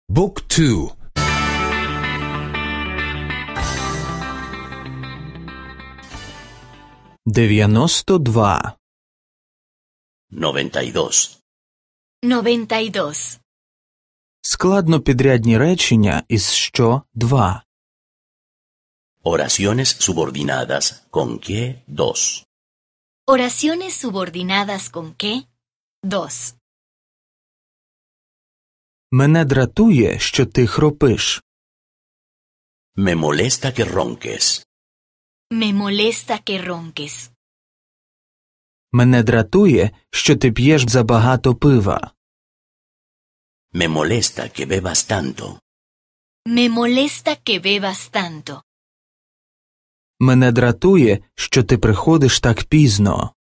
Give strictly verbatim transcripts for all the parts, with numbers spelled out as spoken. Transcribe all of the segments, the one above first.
Book two. дев'яносто два. noventa y dos. noventa y dos. Складнопідрядні речення із що два. Oraciones subordinadas con que dos. Oraciones subordinadas con qué? Dos. Мене дратує, що ти хропиш. Me molesta que ronques. Me molesta que ronques. Мене дратує, що ти п'єш забагато пива. Me molesta que bebas tanto. Me molesta que bebas tanto. Мене дратує, що ти приходиш так пізно.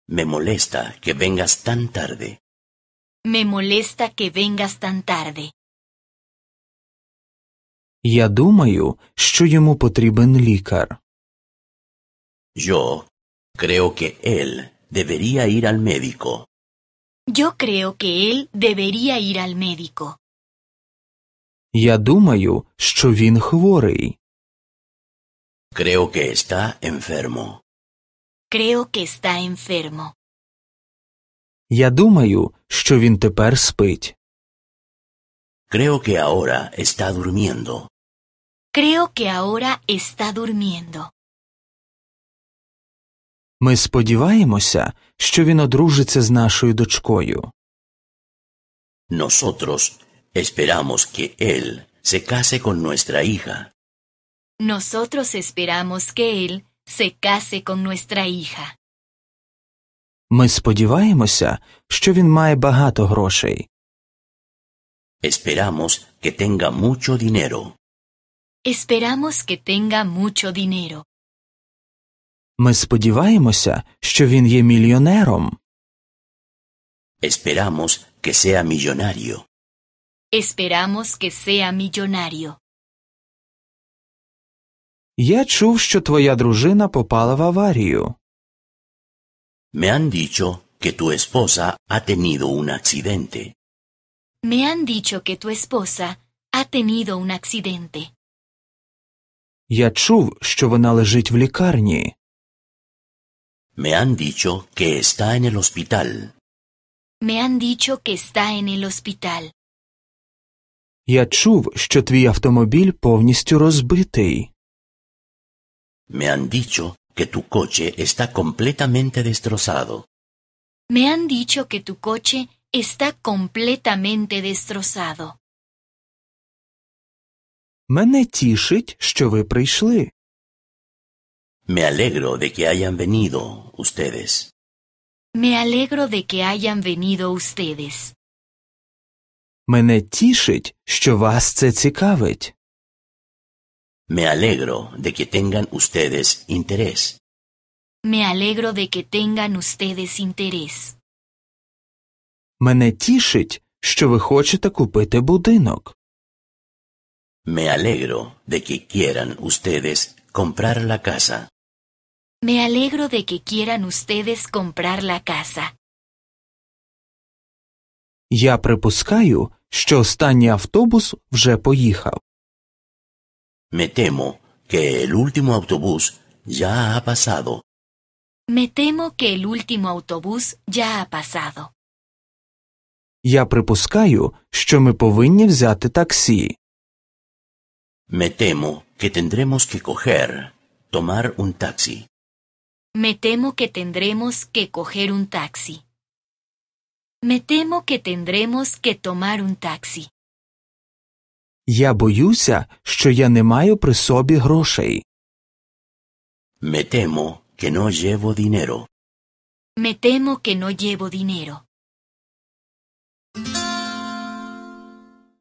Me molesta que vengas tan tarde. Me molesta que vengas tan tarde. Я думаю, що йому потрібен лікар. Yo creo que él debería ir al médico. Yo creo que él debería ir al médico. Я думаю, що він хворий. Creo que está enfermo. Creo que está enfermo. Я думаю, що він тепер спить. Creo que ahora está durmiendo. Creo que ahora está durmiendo. Ми сподіваємося, що він одружиться з нашою дочкою. Nosotros esperamos que él se case con nuestra hija. Nosotros esperamos que él se case con nuestra hija. Ми сподіваємося, що він має багато грошей. Esperamos que tenga mucho dinero. Esperamos que tenga mucho dinero. Ми сподіваємося, що він є мільйонером. Esperamos que sea millonario. Esperamos que sea millonario. Я чув, що твоя дружина попала в аварію. Me han dicho que tu esposa ha tenido un accidente. Me han dicho que tu esposa ha tenido un accidente. Я чув, що вона лежить в лікарні. Me han dicho que está en el hospital. Me han dicho que está en el hospital. Я чув, що твій автомобіль повністю розбитий. Me han dicho que tu coche está completamente destrozado. Me han dicho que tu coche está completamente destrozado. Мене тішить, що ви прийшли. Me alegro de que hayan venido ustedes. Me alegro de que hayan venido ustedes. Мене тішить, що вас це цікавить. Me alegro de que tengan ustedes interés. Me alegro de que tengan ustedes interés. Мене тішить, що ви хочете купити будинок. Me alegro de que quieran ustedes comprar la casa. Me alegro de que quieran ustedes comprar la casa. Я припускаю, що останній автобус вже поїхав. Me temo que el último autobús ya ha pasado. Me temo que el último autobús ya ha pasado. Я припускаю, що ми повинні взяти таксі. Me temo que tendremos que coger, tomar un taxi. Me temo que tendremos que coger un taxi. Me temo que tendremos que tomar un taxi. Я боюся, що я не маю при собі грошей. Me temo que no llevo dinero. Me temo que no llevo dinero.